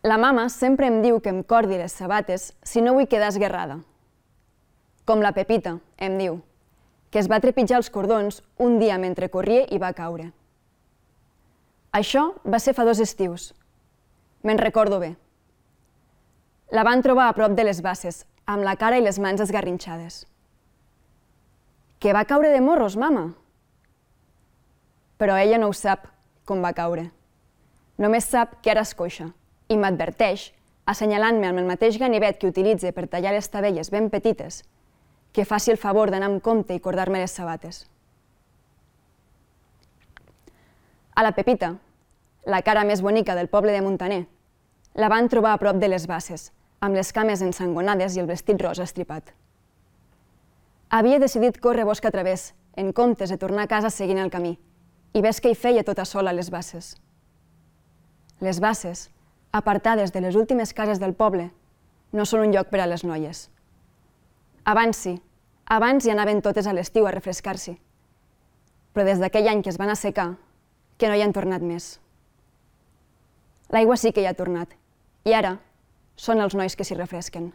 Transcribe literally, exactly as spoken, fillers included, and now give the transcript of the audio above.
La mama sempre em diu que em cordi les sabates si no vull quedar esguerrada. Com la Pepita, em diu, que es va trepitjar els cordons un dia mentre corria i va caure. Això va ser fa dos estius. Me'n recordo bé. La van trobar a prop de les basses, amb la cara i les mans esgarrinxades. Que va caure de morros, mama? Però ella no ho sap, com va caure. Només sap que ara és coixa i m'adverteix, assenyalant-me amb el mateix ganivet que utilitza per tallar les tabelles ben petites, que faci el favor d'anar amb compte i cordar-me les sabates. A la Pepita, la cara més bonica del poble de Montaner, la van trobar a prop de les basses, amb les cames ensangonades i el vestit rosa estripat. Havia decidit córrer bosc a través, en comptes de tornar a casa seguint el camí, i ves que hi feia tota sola a les basses. Les basses, apartades de les últimes cases del poble, no són un lloc per a les noies. Abans sí, abans hi anaven totes a l'estiu a refrescar-s'hi, però des d'aquell any que es van assecar, que no hi han tornat més. L'aigua sí que hi ha tornat, i ara són els nois que s'hi refresquen.